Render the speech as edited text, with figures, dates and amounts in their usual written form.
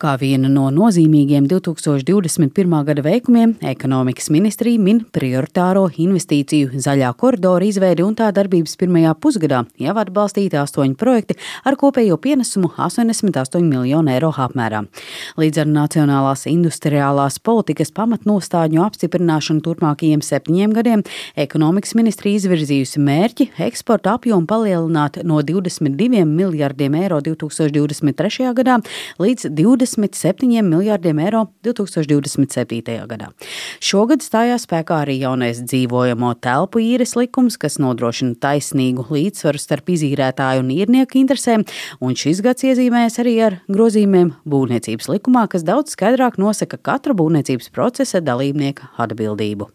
Kā vienu no nozīmīgiem 2021. gada veikumiem, ekonomikas ministrija min prioritāro investīciju zaļā koridora izveidi un tā darbības pirmajā pusgadā jau atbalstīti 8 projekti ar kopējo pienesumu 88 miljonu eiro apmērā. Līdz ar nacionālās industriālās politikas pamatnostādņu apstiprināšanu turpmākajiem 7 gadiem, ekonomikas ministrija izvirzījusi mērķi eksporta apjomu palielināt no 22 miljardiem eiro 2023. gadā līdz 27 miljārdiem eiro 2027. gadā. Šogad stājās spēkā arī jaunais dzīvojamo telpu īres likums, kas nodrošina taisnīgu līdzsvaru starp izīrētāju un īrnieku interesēm, un šis gads iezīmējas arī ar grozījumiem būvniecības likumā, kas daudz skaidrāk nosaka katra būvniecības procesa dalībnieka atbildību.